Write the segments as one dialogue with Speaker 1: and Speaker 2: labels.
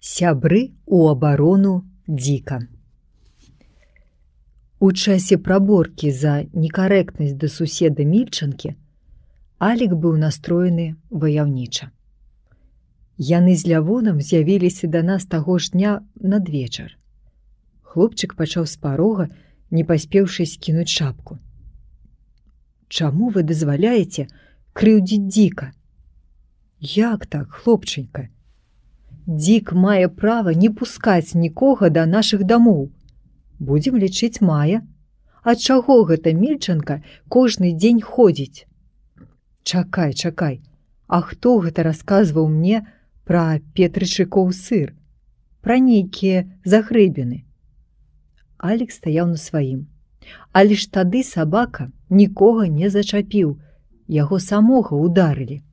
Speaker 1: Сябры у абарону Дзіка. У часе праборкі за некарэктнасць да суседа Мільчанкі Алік быў настроены ваяўніча. Яны з Лявонам з'явіліся да нас таго ж дня надвечар. Хлопчык пачаў з парога, не паспеўшы скінуць шапку. «Чаму вы дазваляеце крыўдзіць Дзіка?» «Як так, хлопчанька? Дзік мае права не пускаць нікога да нашых дамоў. Будзем лічыць мае. А чаго гэта Мільчанка кожны дзень ходзіць?» Чакай, а хто гэта расказваў мне пра петрычыкоў сыр, пра нейкія загрэбіны? Алік стаяў на сваім. Але ж тады сабака нікога не зачапіў, яго самога ударылі.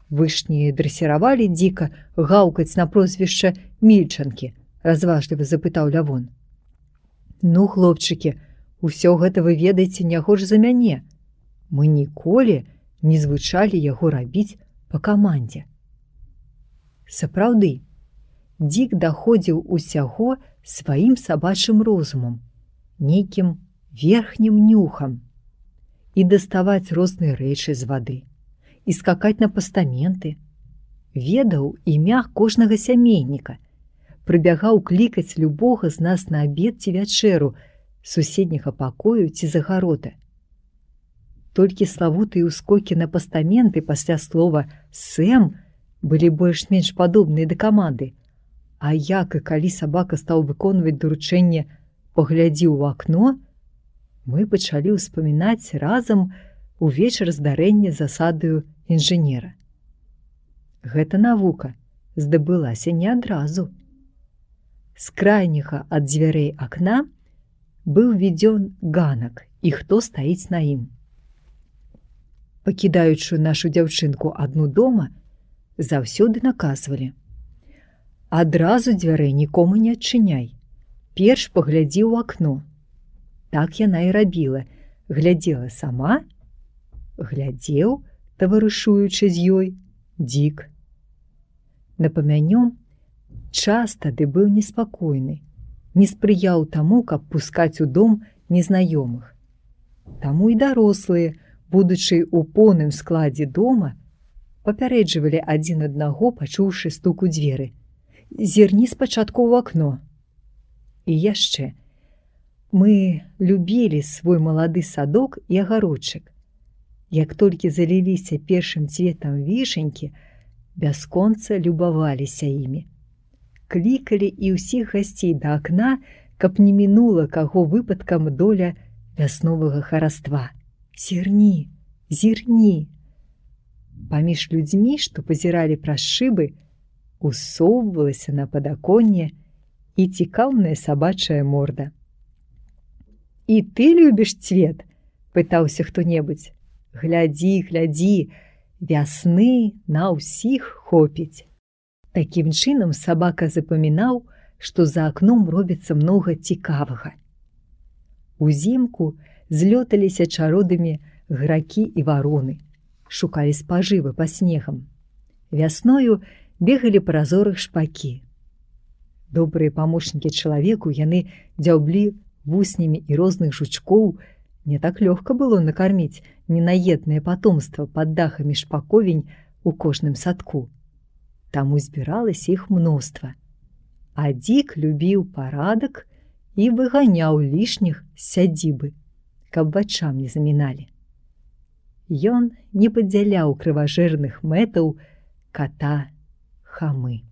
Speaker 1: «Вы ж не дрэсіравалі Дзіка гаўкаць на прозвішча Мільчанкі?» разважліва запытаў Лявон. «Ну, хлопчыкі, усё гэта вы ведаеце не горш за мяне. Мы ніколі не звычалі яго рабіць па камандзе». Сапраўды, Дзік даходзіў усяго сваім сабачым розумам, нейкім верхнім нюхам. І даставаць розныя рэчы з вады, і скакаць на пастаменты. Ведаў імя кожнага сямейніка, прыбягаў клікаць любога з нас на абед ці вячэру з суседняга пакою ці загарода. Толькі славутыя ўскокі на пастаменты пасля слова «сэм» былі больш-менш падобныя да каманды, а як і калі сабака стаў выконваць даручэнне «паглядзі ў акно», мы пачалі ўспамінаць разам увечар здарэння засадаю інжынера. Гэта навука здабылася не адразу. З крайняга ад дзвярэй акна быў відзён ганак, і хто стаіць на ім. Пакідаючы нашу дзяўчынку адну дома, заўсёды наказвалі: «Адразу дзвярэй нікому не адчыняй, перш паглядзі ў акно». Так яна і рабіла, глядзела сама, глядзеў, таварышуючы з ёй, Дзік. Напамянём, час тады быў неспакойны, не спрыяў таму, каб пускаць у дом незнаёмых. Таму і дарослыя, будучы ў поўным складзе дома, папярэджвалі адзін аднаго, пачуўшы стук у дзверы: «Зірні спачатку ў акно». І яшчэ, мы любілі свой малады садок і агародчык. Як толькі заліліся першым цветам вішенькі, бясконца любаваліся імі. Клікалі і ўсіх гасцей да акна, каб не мінула каго выпадкам доля вясновага хараства. «Зірні, зірні». Паміж людзьмі, што пазіралі праз шыбы, усоўвалася на падаконне і цікаўная сабачая морда. «І ты любіш цвет?» – пытаўся хто-небудзь. «Глядзі, глядзі, вясны на ўсіх хопіць». Такім чынам сабака запамінаў, што за акном робіцца многа цікавага. Узімку злёталіся чародамі гракі і вароны, шукалі спажывы па снегам. Вясною бегалі па разорах шпакі. Добрыя памочнікі чалавеку, яны дзяўблі вуснямі і розных жучкоў. Не так лёгка было накарміць ненаеднае патомства пад дахамі шпаковень у кожным садку. Таму збіралася іх мноства. А Дзік любіў парадак і выганяў лішніх з сядзібы, каб вачам не заміналі. Ён не падзяляў крыважэрных мэтаў ката Хамы.